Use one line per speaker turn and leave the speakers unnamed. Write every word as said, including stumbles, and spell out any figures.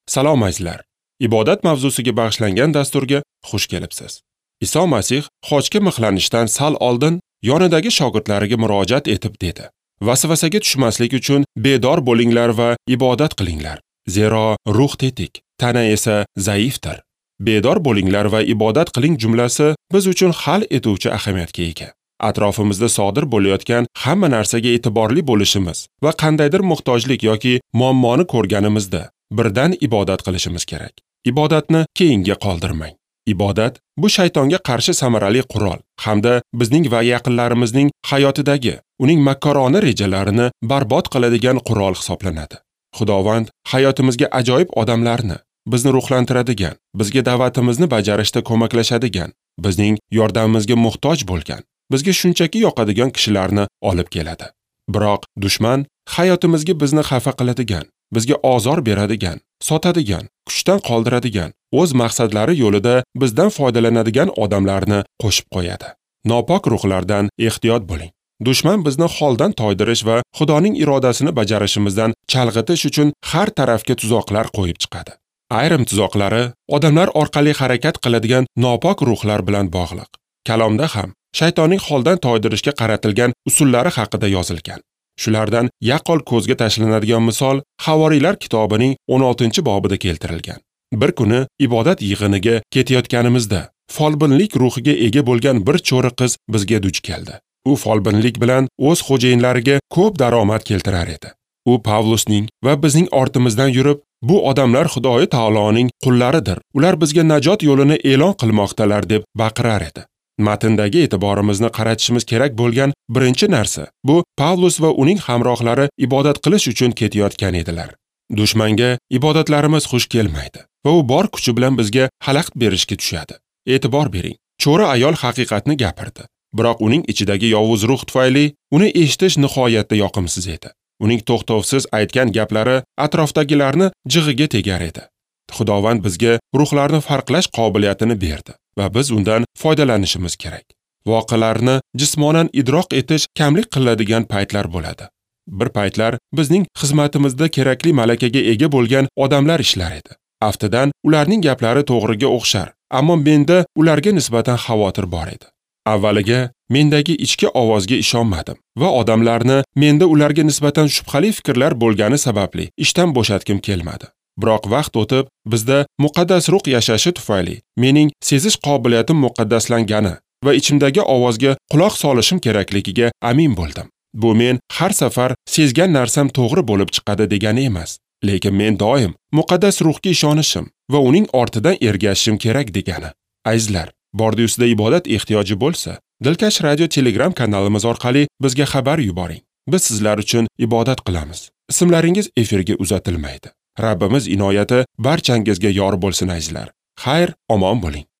Salom azizlar. Ibodat mavzusiga bag'ishlangan dasturga xush kelibsiz. Iso Masih xochga mixlanishdan sal oldin yonidagi shogirdlariga murojaat etib dedi: "Vasvasaga tushmaslik uchun bedor bo'linglar va ibodat qilinglar. Zero ruh tetik, tana esa zaifdir." Bedor bo'linglar va ibodat qiling jumlasi biz uchun hal etuvchi ahamiyatga ega. Atrofimizda sodir bo'layotgan hamma narsaga e'tiborli bo'lishimiz va qandaydir muhtojlik yoki muammoni ko'rganimizda birdan ibodat qilishimiz kerak. Ibodatni keyinga qoldirmang. Ibodat bu shaytonga qarshi samarali qurol hamda bizning va yaqinlarimizning hayotidagi uning makkorona rejalarini barbod qiladigan qurol hisoblanadi. Xudovand hayotimizga ajoyib odamlarni, bizni ruhlantiradigan, bizga da'vatimizni bajarishda ko'maklashadigan, bizning yordamimizga muhtoj bo'lgan, bizga shunchaki yoqadigan kishilarni olib keladi. Biroq dushman hayotimizga bizni xafa qiladigan, bizga ozor beradigan, sotadigan, kuchdan qoldiradigan, o'z maqsadlari yo'lida bizdan foydalanadigan odamlarni qo'shib qo'yadi. Nopok ruhlardan ehtiyot bo'ling. Dushman bizni holdan toydirish va Xudoning irodasini bajarishimizdan chalg'itish uchun har tarafga tuzoqlar qo'yib chiqadi. Ayrim tuzoqlari odamlar orqali harakat qiladigan nopok ruhlar bilan bog'liq. Kalomda ham shaytonning holdan toydirishga qaratilgan usullari haqida yozilgan. Shulardan yaqqol ko'zga tashlanadigan misol Havoriylar kitobining o'n oltinchi bobida keltirilgan. Bir kuni ibodat yig'iniga ketayotganimizda folbinlik ruhiga ega bo'lgan bir cho'ri qiz bizga duch keldi. U folbinlik bilan o'z xo'jayinlariga ko'p daromad keltirar edi. U Pavlusning va bizning ortimizdan yurib, bu odamlar Xudoyi taoloning qullaridir. Ular bizga najot yo'lini e'lon qilmoqdalar deb baqirar edi. Matndagi e'tiborimizni qaratishimiz kerak bo'lgan birinchi narsa bu Pavlus va uning hamrohlari ibodat qilish uchun ketayotgan edilar. Dushmanga ibodatlarimiz xush kelmaydi va u bor kuchi bilan bizga xalaqit berishga tushadi. E'tibor bering, cho'ri ayol haqiqatni gapirdi. Biroq uning ichidagi yovuz ruh tufayli uni eshitish nihoyatda yoqimsiz edi. Uning to'xtovsiz aytgan gaplari atrofdagilarni jig'iga tegar edi. Xudovand bizga ruhlarni farqlash qobiliyatini berdi va biz undan foydalanishimiz kerak. Voqealarni jismonan idroq etish kamlik qiladigan paytlar bo'ladi. Bir paytlar bizning xizmatimizda kerakli malakaga ega bo'lgan odamlar ishlar edi. Aftidan ularning gaplari to'g'riga o'xshar, ammo menda ularga nisbatan xavotir bor edi. Avvaliga mendagi ichki ovozga ishonmadim va odamlarni menda ularga nisbatan shubhali fikrlar bo'lgani sababli ishdan bo'shatgim kelmadi. Biroq vaqt o'tib, bizda muqaddas ruh yashashi tufayli mening sezish qobiliyatim muqaddaslangani va ichimdagi ovozga quloq solishim kerakligiga amin bo'ldim. Bu men har safar sezgan narsam to'g'ri bo'lib chiqadi degani emas, lekin men doim muqaddas ruhga ishonishim va uning ortidan ergashishim kerak degani. Azizlar, bordi-ustida ibodat ehtiyoji bo'lsa, Dilkash Radio Telegram kanalimiz orqali bizga xabar yuboring. Biz sizlar uchun ibodat qilamiz. Ismlaringiz efirga uzatilmaydi. Rabbimiz inoyati barchangizga yor bo'lsin azizlar. Xayr, omon bo'ling.